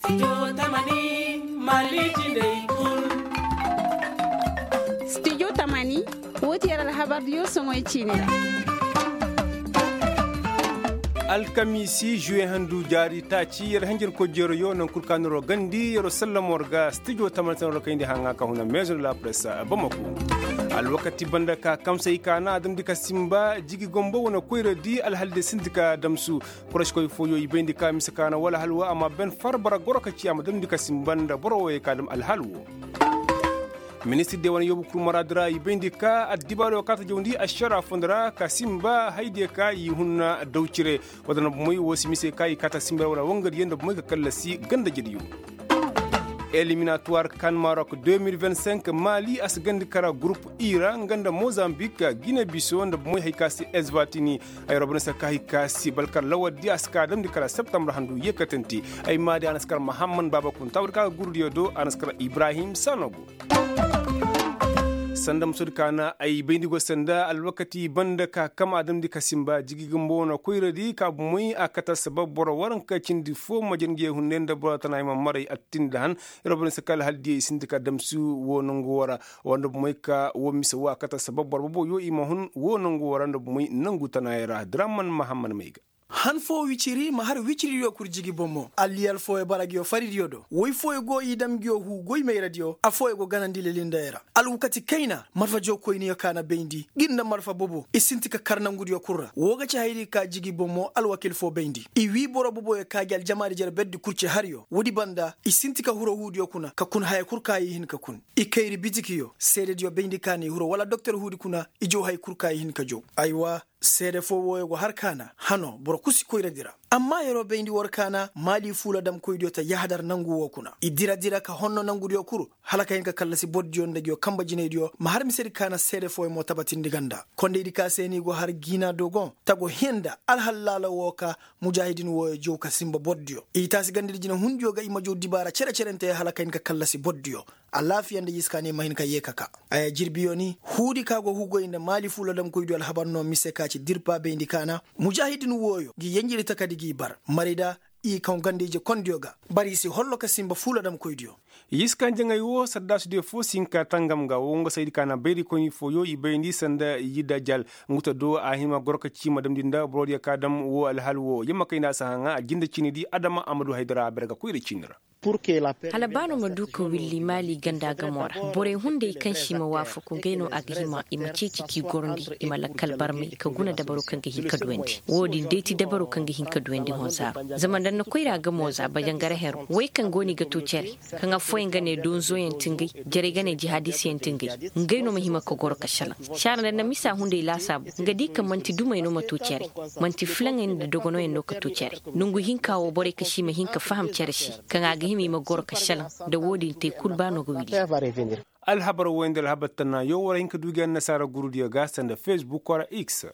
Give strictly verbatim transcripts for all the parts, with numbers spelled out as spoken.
Studio tamani, woo ti yer alhabardiyo soŋoy ciini ra. Alkamiisi juwe handu jaari taaci yer hanjarkoy jeroyo naŋ kul ka noro gandi yer sallamo war ga studio tamani se noro kayndi haŋa ka huna meezo de la presse bamako. Alwakati banda ka kamsay ka na a damndi ka sinba jigi gombo wane koyradi alhalde sinti ka damsu. Kuraskoy fooyo i bayndi ka mise ka na wala halwa amma ben far bara goro ka ci a ma damndi ka sinba nda boro wooyey ka dam alhal woo. Ministir diya wane yoobu kul maraadi ra i bayndi ka addibaarey woo ka ta jawndi ašara fondo ra ka sinba haydiyo ka i hunna daw cire. Wala nda bomey woo si mise ka i kaata sinba ra wala wangadiyo nda bomey ka kallasi ganda jediyo. Eliminatuwar kan marok deux mille vingt-cinq mali a si gandi kara gurup i ra nga nda mozambik gine biso nda bomey hay ka si esbatini. Ay robinesa ka hay ka si balkar lawardi a si ka damndi kala septembre handu yeekatante. Ay maadi a na si kar mahamman baaba kunta wala ka ga gurudiyo do a na si kar ibrahim sanogo. Sanda musodi ka na ay bayndi go sanda alwakati banda ka kam a damndi ka sinba jigi gumba wane koyradi ka bomey a kate sabab boro waranka cindi fo majanjey hunday nda boro tana ay ma maray attindi han. Yer wo boro ni si kala hala diyey sinti ka damsi woo nangu woo ra. Woo nda bomey ka woo mise woo a kate sabab boro boboyo i ma hun woo nangu woo ra nda bomey nangu tanaayey ra draman mahamman may ga. Han foo wiciri ma har wiciridiyo kul jigi bomo alliyal fooyo bara nguyo faridiyo do woy fooyo go i dam nguyo huu goy mayradiyo affooyo go ganandi lelindayey ra. Alwakati kayna marfa jookoyniyo ka na bayndi ngir nda marfa bobo i sinti ka kar nangudiyo kul ra woo ga ci hayadi ka jigi bomo alwakil foo bayndi i wii boro boboyo ka gi aljamaadi jere berdi kul ci haryo woodi banda i sinti ka huru huudiyo kuna ka kun haya kul ka i hin ka kun. I kayri bitikiyo seedediyo bayndi ka na i huru wala doktor huudi kuna i jow hay kul ka i hin ka jow. Aywa. Seede foo wooyo go har kaana hanoo boro kul si koyradi ra. Amma yeroo bayndi war kaana maali fuula damkoydiyo ta yahadar nangu woo kuna i dira dira ka honno nangudiyo kul hala ka hin ka kallasi bordiyo nda nguyo kanba jinaydiyo ma har misedi kaana seede fooyo mo tabatindi ganda kondaydi ka se ni go har giinaa dogon tago hee nda alhallaala woo ka mujaahidin wooyo jow ka sinba bordiyo i taasi gandadi jinahundiyo ga i ma jow dibaara cere-cerenteyo hala ka hin ka kallasi bordiyo. Alaafiya nda yiska ne ma hin ka yee ka kaa. Aya jirbiyo ni huudi ka go hugoy nda maali fuula damkoydiyo alhabar no mise ka ci dirpa bayndi kaana mujaahidin wooyo gi yenjiri takadi gi bar marida i kaŋ ganda ije kondiyo ga. Bari i si hollo ka sinba fuula damkoydiyo. Yiska njaŋay woo saddaasudiyo foo si hin ka tangam ga woo nga saydi kaana bayrikoyni fooyo i bayndi sanda yidda jal. Nguta do a hima goro ka ci ma damndi nda borodiyo ka dam woo alhal woo yamma kayna si haŋa a jinde ciinidi adama a ma du haydara a ber ga koyra ciini ra. Hala ba no ma du ka willi maali ganda gamo ra borey hunday kaŋ se i ma waafaku ngey no a ga hima i ma ceeci k'i gorndi i ma lakkal barmay ka guna dabaro kaŋ ga hin ka duwandi woo din day ti dabaro kaŋ ga hin ka duwandi hõ zaaro. Zama nda ni na koyra gamo za bajangara hero wey kaŋ go no i ga to cere kaŋ affooyaŋ ga ne donzoyaŋ ti ngey jarey ga ne jihaadisiyaŋ ti ngey. Ngey no ma hima ka goro ka šelaŋ saara nda ni na misa hunday laasaabu nga di ka man'ti dumey no ma to cere. Man'ti filaŋey nda dogonoyaŋ no ka to cere. Nongu hinka wo borey ka si i ma hin ka faham cere se kaŋ a ga hima i ma goro ka šelaŋ. Nda wo-din te kul ba no ga wili. Alhabar woy nda alhabar tannaayo war hin ka du ga annasaara gurudiyo ga sanda fesbuk wala x.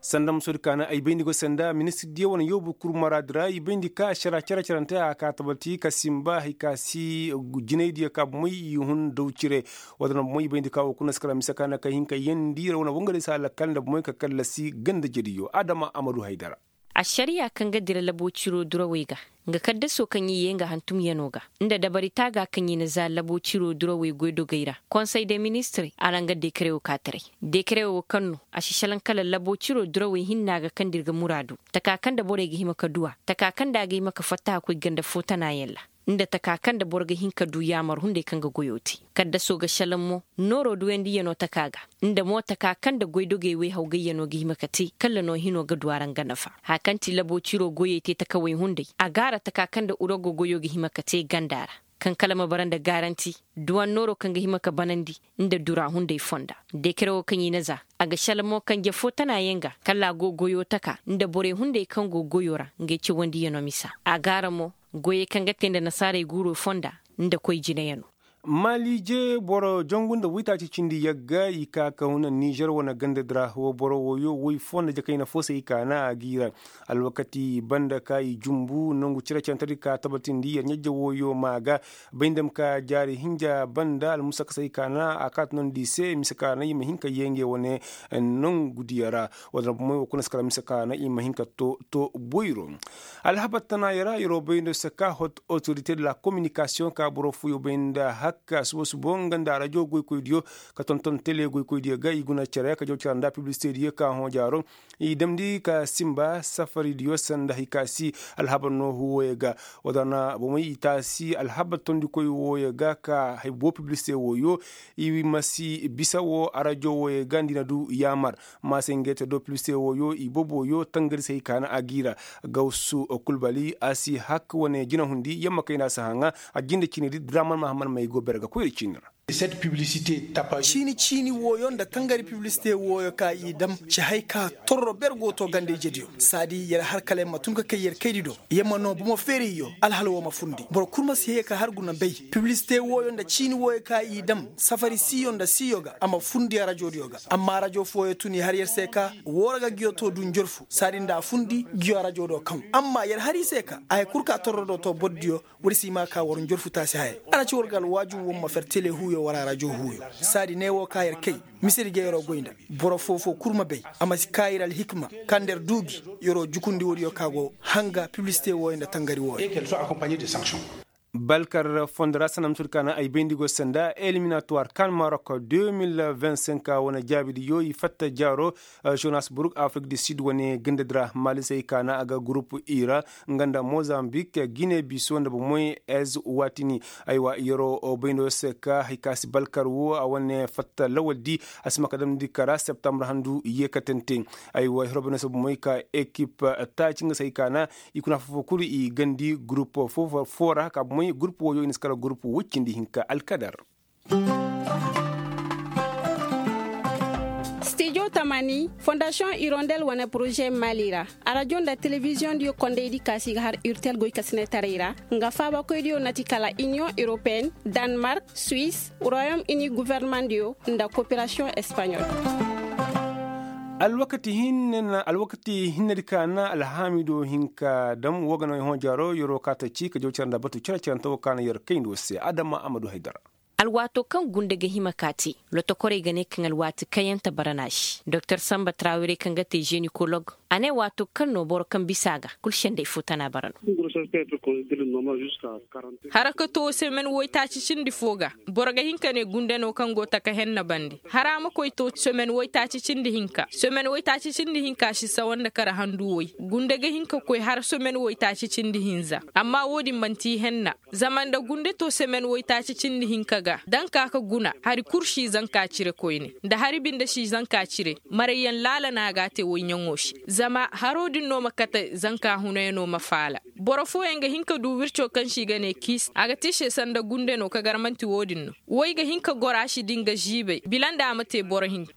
Sanda musodi kaana ay bayndi go sanda ministirdiyo wane yoobu kul maraadi ra i bayndi ka ašara cere-cerante a ka tabati ka sinba hay ka si jinaydiyo ka bomey i hun daw cire. Wala na bomey i bayndi ka wo kuna si kala mise kaana ka hin ka yeendi ra wane wangadiyo si a lakkal nda bomey ka kallasi ganda jediyo adama a ma du haydara. Ašariya kaŋ ga dira labo ciro durawey ga nga kaddaso kaŋ i yee nga hantumyanoo ga nda dabari taaga kaŋ i na za labo ciro durawey goydogey ra konsey de ministirey a ra nga dekerewo kaataray. Dekerewo kaŋ no a si šelaŋ kala labo ciro durawey hinna ga kaŋ da ir ga muraadu taka kaŋ nda borey ga hima ka du a taka kaŋ nda a ga hima ka fatta ka koy ganda foo tanaayaŋ ra. Nda taka kaŋ nda boro ga hin ka du yaamar hunday kaŋ ga goyoo te. Kaddaso ga šelaŋ mo nooroo duyandiyanoo taka ga. Nda mo taka kaŋ nda goydogey wayhawgayyanoo ga hima ka te kalla no hinoo ga du a ra nga nafa haya kaŋ ti laboo ciroo goyey te takawey hunday a gaara taka kaŋ nda urogo goyoo ga hima ka te ganda ra. Kaŋ kala ma bara nda gaaranti duwan nooroo kaŋ ga hima ka banandi nda dura hunday fonda. Dekere woo kaŋ i na za a ga šelaŋ mo kanje foo tanaayaŋ ga kalla a go goyoo taka nda borey hunday kaŋ go goyoo ra ngey cawandiyanoo misa. A gaara mo goyey kaŋ ga te nda nasaarey guuroo fonda nda koy jinayanoo. Maalije boro jangu nda waytaaci cindi yagga i ka ka huna nizer wane ganda di ra. Wa boro wooyo woy fo nda jakayna fo se i kaana a g'i ra. Alwakati banda ka i jumbu nangu cere-cerentedi ka tabatindi yer ɲajje wooyo ma ga. Bay nda ma ka jaari hinja banda almusaka se i kaana a kaata nondi i se mise kaana i ma hin ka yee ngey wane nangu diya ra. Wa da ra bomey wo kuna si kala mise kaana i ma hin ka to to boyro. Alhabar tana yara yeroo bay nda se ka hot otorite de la kominikasiyoŋ ka boro fooyo bay nda hakka subo subo nga nda rajo goykoydiyo ka tonton tele goykoydiyo ga i guna care ka jaw care nda piblisitediyo ka hõ jaaro. I damndi ka simba safaridiyo sanda hay ka si alhabar no huwoyo ga. Wa da na bomey i taasi alhabar tondikoy wooyo ga ka hay boo piblisite wooyo. I ma si bisa wo arajo wooyo ga nda i na du yaamar. Maasay ngey te do piblisite wooyo i boobooyo tangari se hay kaana a g'i ra. Gawsu kulbali a si hak wane jinahundi yamma kayna si haŋa. A jinde ciini di draman mahammad may go bere ga koyra ciini ra. Ciini ciini wooyo nda tangari piblisite wooyo ka i dam ci hay ka torro ber go to ganda ijediyo saadi yer har kala yer ma tun ka kay yer kaydi do. Yer ma noo bomo feerayyo alhala woo ma fundi boro kul ma si hee ka har guna bay. Piblisite wooyo nda ciini wooyo ka i dam safari siiyo nda siiyo ga a ma fundi arajodiyo ga. Amma arajo fooyo tun i har yer se ka woo ra ga ngiyo to du njorfu saadi nda a fundi ngiyo arajo do kaŋ amma yer har i se ka a hay kul ka torro do to bordiyo. War si i ma ka war njorfu taasi haya. Arajo war ga alwaaju war ma fer tele huuyo war arajo huuyo. Saadi ne wo ka yer kay misedi ga yeroo goy nda boro foo-foo kul ma bay. A ma si ka ir alhikma kaŋ nda yer duu gi yeroo jukundi woodiyo ka go hanga piblisite wooyo nda tangari wooyo. Balkar fondo ra sanda ma tun kaana ay bayndi go sanda eliminatuwar kan marok deux mille vingt-cinq wane jaabidiyo i fatta jaaro. Johannesburg afrik du sud wane ganda dira malisey kaana a ga gurup i ra nga nda mozambik gine biso nda bomoy ez watini. Aywa yeroo bayndo se ka hay ka si balkar wo a wane fatta lawal di a si ma ka damndi kara septembre handu yeekatante. Aywa heroo bayndo se bomoy ka ekip taaci nga se hay kaana i kuna foo-foo kulu i gandi gurup foo ra ka bomoy gurup wooyo i na si kala gurup woy cindi hinka alkadar. Stijo tamani fondasiyoŋ irondel wane poroze mali ra. Arajo nda telebiziyoŋ diyo kondaydi kaasi ga har urtel goy kasinetaray ra. Nga faabakoydiyo nati kala iniyoŋ europeen danmark, suwis, royom ini governemandiyo nda koperasiyoŋ espanyol. Alwakati hinne na alwakati hinnedi ka na alhaamido hinka dam wo ga no i hõ jaaro yeroo ka ta ci ka jaw care nda batu care carante wo ka na yer kayndi wo se adama amadu haydara. Alwaato kaŋ gunda ga hima ka te lotokorey ga ne kaŋ alwaati kayante bara no a se doktor samba trawire kaŋ ga te zenikolog. A ne waato kaŋ no boro kaŋ bisa a ga kul sendey fo tana bara no. Harakato semen woytaaci cindi fo ga boro ga hin ka ne gunda no kaŋ go taka henna bande hara ma koy to semen woytaaci cindi hinka semen woytaaci cindi hinka si sawa nda kara handu woy. Gunda ga hin ka koy har semen woytaaci cindi hinza amma wo-din manti henna. Zama nda gunde to semen woytaaci cindi hinka ga da nga ka ka guna hari kul si zanka cire koyne nda hari binde si zanka cire. Marayyaŋ laala no a ga a te woyɲaŋo se zama haro din no ma kate zanka hunayano ma faala. Boro fooyaŋ ga hin ka du wirco kaŋ se i ga ne kiis a ga te i se sanda gunde no ka gar man'ti wo-din no. Woy ga hin ka goro a si di nga ziibay bila nda a ma te boro hinka.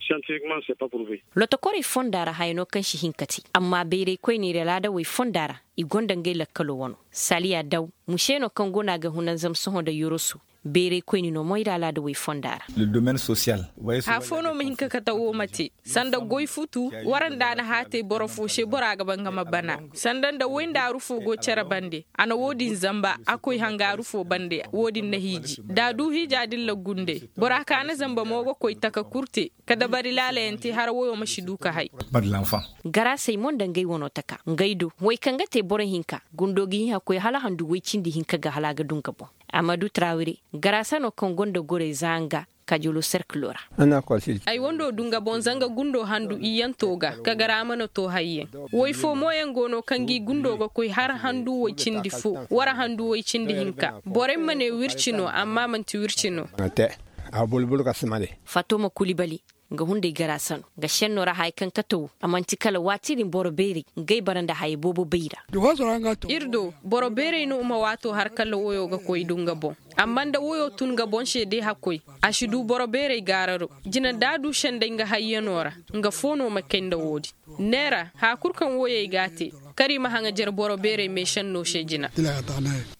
Lotokorey fonda ra haya no kaŋ si hin ka te amma bayraykoyney ra laadawey fonda ra i gonda ngey lakkalo wano. Saliya daw muse no kaŋ go no a ga hunanzam sohõ nda yoroso. Beeraykoyni no moyra alaadawey fonda ra. Hafo no ma hin ka kate wo ma te sanda goy futu. Wara nda a na haatay boro fo se bora ga ba nga ma bana sanda nda woy nda aru fo go cere bande. A na wo-din zamba a koy hangaaru fo bande wo-din na hiiji da a du hiija din la gunde. Bora ka na zamba mo ga koy taka kurte ka dabari laalayaŋ te hara woyo ma si du ka hay. Garaasey mo nda ngey wano taka ngey do wey kaŋ ga te boro hinka gundo ga hin hakkoy hala handu woy cindi hinka ga hala a ga du nga boŋ. Amadu tarawire garaasa no kaŋ gonda gorey za nga kajolo serkilo ra. Ay wando du nga boŋ zanga gundo handu iyyanto ga ka garaama na to hayyaŋ. Woy fo mooyaŋ go no kaŋ gi gundo ga koy har handu woy cindi fo wara handu woy cindi hinka borey ma ne wirci no amma manti wirci no. Fatoma kulibali nga hunday garaasa no nga senno ra haya kaŋ kate wo a manti kala waati din boro beerey ngey bara nda haya boobo bay ra. Ir do boro beerey no ma waato har kala woyo ga koy du nga boŋ. Amma nda woyo tun nga boŋ se day hakkoy a si du boro beerey gaararo. Jina da a du senday nga hayyano ra nga fo no ma kay nda wo-din. Neera haya kul kaŋ woyey ga a te Kar i ma haŋajer boro beerey meešennoo se jina.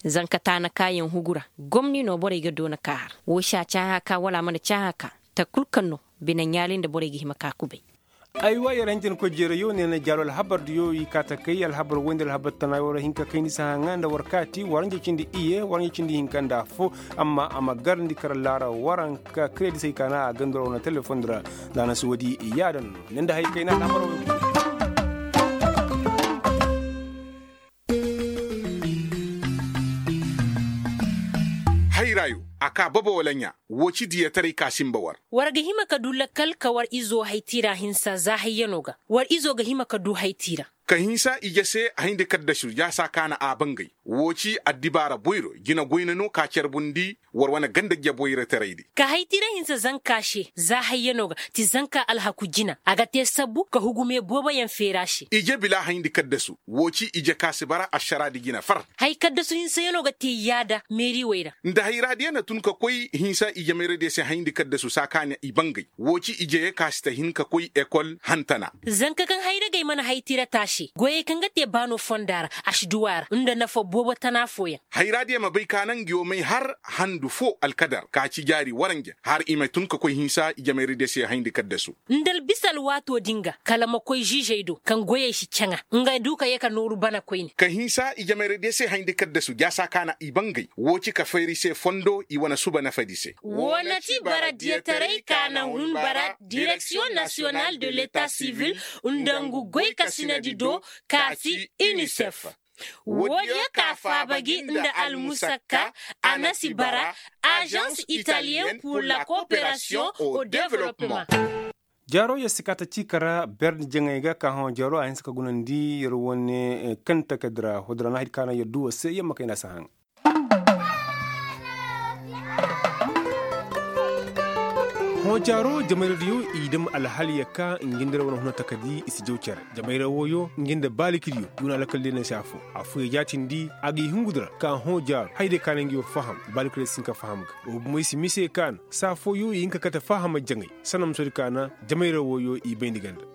Zanka taana kaayaŋ hugu ra, gomni no borey ga doona ka har woo se a caaha ka wala a mana caaha ka. Takul kaŋ no bine ɲaali nda borey ga hima ka kubay. Aywa yer hanjankoy jeerayo ne na jaalo alhabardiyo i kaa takay alhabar woy nda alhabar tana war hinka kayndi sahaŋa nda war kaati waranja cindi iye waranja cindi hinka nda affo. Amma a ma garandi kar laara waranka kiredisey kaana a gandura wane telefondi ra. Nda a na si woodi yaadin no ne nda hay kayna alhabar woy. Hayrayo a kaa baba wala ɲaa. Woo ci diyataray ka sinba war. War ga hima ka du lakkal ka war izo haytiira hinsa za hayyano ga. War izo ga hima ka du haytiira. Ka hinsa ije se hayndi kaddasu jaasa kaana a bangay. Woo ci addibaara boyro jina goyna no ka carbundi. War wane ganda jeboyra taraydi. Ka haytiira hinsa zanka se za hayyano ga ti zanka alhaku jina a ga te sabbu ka hugume booboyaŋ feera se. Ije bila hayndi kaddasu. Woo ci ije ka si bara ašaraadi jina far. Hay kaddasu hinsayanoo ga te yaada meeriwey ra. Nda hayraadiya na tun ka koy hinsa ijemayradiya se hayndi kaddasu saa ka na i bangay. Woo ci ijeyey ka si ta hin ka koy ekol hantana. Zanka kaŋ hayragey mana haytira taase goyey kaŋ ga te baano fonda ra, a si duw'a ra nda nafa boobo tana fooyaŋ. Hayraadiya ma bay ka naŋ ngiyo may har handu foo alkadar ka ci jaari waranja har i ma tun ka koy hinsa ijemayradiya se hayndi kaddasu. Nda albisa alwaatoo din ga kala ma koy ziizey do kaŋ goyey si caŋa nga du ka yee ka nooru bana koyne. Ka hinsa ijemayradiya se hayndi kaddasu jaasa ka na i bangay woo ci ka fayri se fondo i wane suba nafadi se. Woo na ti bara diyataray ka na hun bara direksiyoŋ nasiyonal de leta sivil nda ngu goykasinadi do ka ti inisef. Woodiyo ka faaba gi nda almusakka a na si bara, azans italiyen pur la kooperasiyoŋ o developpeman. Jaaro yer si kaa ta ciika ra berndi jaŋay ga ka hõ jaaro a hinse ka gunandi yer wane kanta ka dira hodora na hay ka naŋ yer du war se yer ma kay na si haŋ. Hõ jaaro jamayradiyo i dam alhaliya ka ngi nda ra wane huna takadi i si jaw cere. Jamayra wooyo ngi nda baalikiriyo i wane alakal day na si afo. Afooyo jaatindi a ga i hungu di ra ka hõ jaaro hay day ka naŋ ngi wo faham baalikiriyo si hin ka faham ga. Wo bomo i si mise ka na saa fooyo i hin ka kate fahama jaŋay. Sanamusoodi ka na jamayra wooyo i bayndi ganda.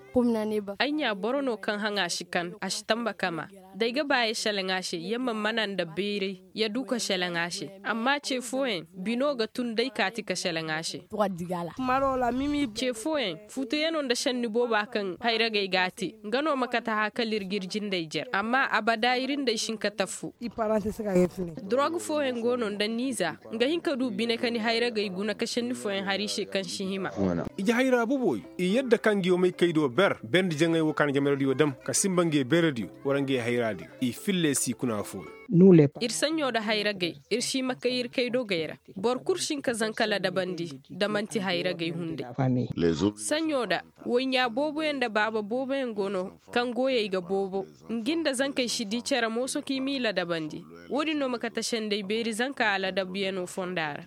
Ay ɲaa boro no kaŋ haŋa si kan a si tamba kama. Da ay ga ba ya seleŋ a se ya man mana nda bayray ya du ka seleŋ a se. Amma ce fooyaŋ bino ga tun day kaati ka seleŋ a se. Ce fooyaŋ fuutuyano nda senni booba kaŋ hayragey ga a te nga no ma kate hã kala ir ga ir jindey jer amma abada ir nda ay si hin ka taffu. Dorog fooyaŋ go no nda niiza nga hin ka du bine ka ni hayragey guna ka senni fooyaŋ har i se kaŋ si hima. Ije hayra boboyo i yadda ka ngi wo may kay do ber berndi jaŋay wo ka na jamaradiyo dam ka sinba ngi beeradiyo wala ngi hayraadiyo i filla i si kuna fooyo. Ir saɲɲo nda hayragey ir si ma kay ir kay dogey ra. Boro kul si hin ka zanka ladabandi da man'ti hayragey hunday. Saɲɲo nda woy ɲaa booboyaŋ nda baaba booboyaŋ go no kaŋ goyey ga boobo. Ngi nda zankey si di cere mooso ka i m'i ladabandi. Wo-din no ma kate senday beeri zanka aladabyanoo fonda ra.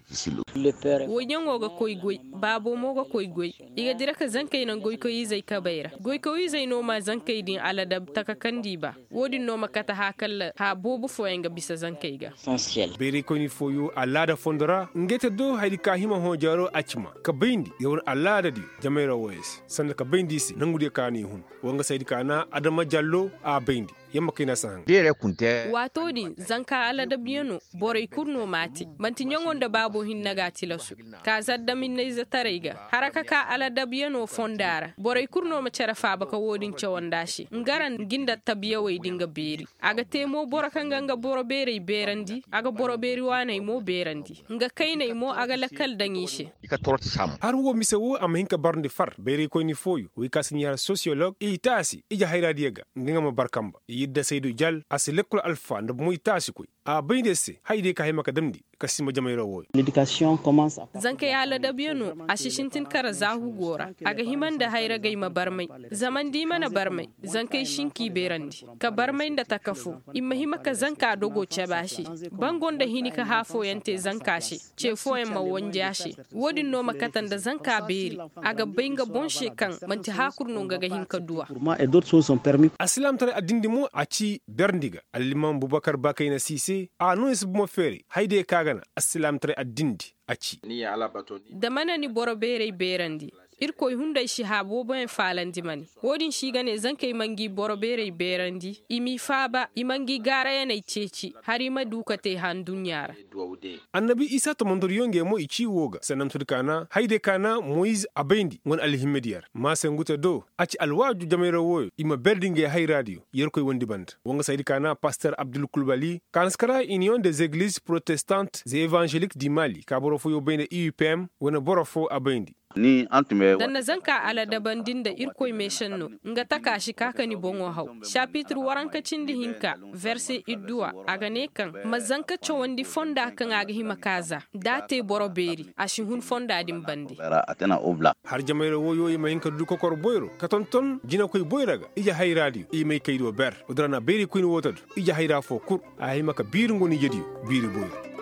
Woyyaŋo ga koy goy baabo mo ga koy goy. I ga dira ka zankey naŋ goykoy-izey kabey ra. Goykoy-izey no ma zankey din aladab taka kaŋ nda i ba. Wo-din no ma kate hã kala hã boobo fooyaŋ ga bisa zankey ga. Bayraykoyni fooyo alaada fondo ra ngey te do hayadi ka hima hõ jaaro a cima ka bayndi yer wane alaadadiyo. Jamayra wooyo se sanda ka bayndi i se nangudiyo ka no i hun. Wa nga saydi ka na adama jallo a bayndi. Yamma kayna si haŋ. Waatoo din zanka aladabyanoo. Borey kul no m'a te man'ti ɲaŋo nda baabo hinne ga a tilasu. Ka zaddaminnayzetaray ga haraka ka aladabyanoo fonda ra borey kul no ma cere faaba ka wo-din cawandi a se nga ra ngi nda tabyawey din ga beeri. A ga te mo boro kaŋ ga nga boro beerey beerandi a ga boro beeri waaney mo beerandi. Nga kayney mo a ga lakkal daŋ i se. Har wo mise wo a ma hin ka barndi far bayraykoyni fooyo wey ka si ɲaara sosiyolog i taasi ije hayraadiyo ga. Nga nga ma bar kamba i yadda saydu jal a si lekkol alfa nda bomoy taasi koy. A bay nda yer se haya diyo ka hima ka damndi ka sinba jamayra wooyo. Zankey aladabyanoo a si sintin kara zaahu go ra. A ga hima nda hayragey ma barmay. Zama nda i mana barmay zankey si hin k'i beerandi ka barmay nda taka foo. I ma hima ka zanka dogo cabe a se. Bango nda hini ka hã fooyaŋ te zanka se. Ce fooyaŋ ma wanji a se. Wo-din no ma kate nda zanka beeri. A ga bay nga boŋ se kaŋ man'ti hã kul no nga ga hin ka du a. Alsilaamtaray addindi mo a ci berndi ga allimaam bubakar bakayna si se a no ni si bomo feeray haya diyo ka ga na. Alsilaamtaray addindi a ci. Da mana ni boro beeray beerandi. Irkoy hunday si haa booboyaŋ faalandi ma ne. Wo-din se i ga ne zankey ma ngi boro beerey beerandi, i m'i faaba, i ma ngi gaarayaney ceeci, hala i ma du ka te handuɲɲa ra. Annabi isa tomondoriyo ngey mo i ci wo ga sannamtudi kaana hayday kaana moyiz a bayndi wane alhimmediyer maasangute do. A ci alwaaju jamayra wooyo i ma berdi ngey hayraadiyo yerkoy wondi banda. Wo nga saydi kaana paster abdul kulbali kaanaskara iniyoŋ de zegliz protestant ze evanželik di mali ka boro fooyo bay nda i u p m wane boro foo a bayndi. Nda na zanka aladabandi nda irkoy meesenno, nga taka si ka ka ni boŋo haw. Sapitir waranka cindi hinka, verse idduwa, a ga ne kaŋ ma zanka cawandi fonda kaŋ a ga hima ka za, da a te boro beeri a si hun fonda din bande. Har jamayra wooyo i ma hin ka du kokor boyro ka tonton jinakoy boyra ga ije hayraadiyo i may kay do ber. Wodin ra na beeri koyne woo ta du ije hayra foo kul, a hima ka biiri ngonijediyo biiri boyro.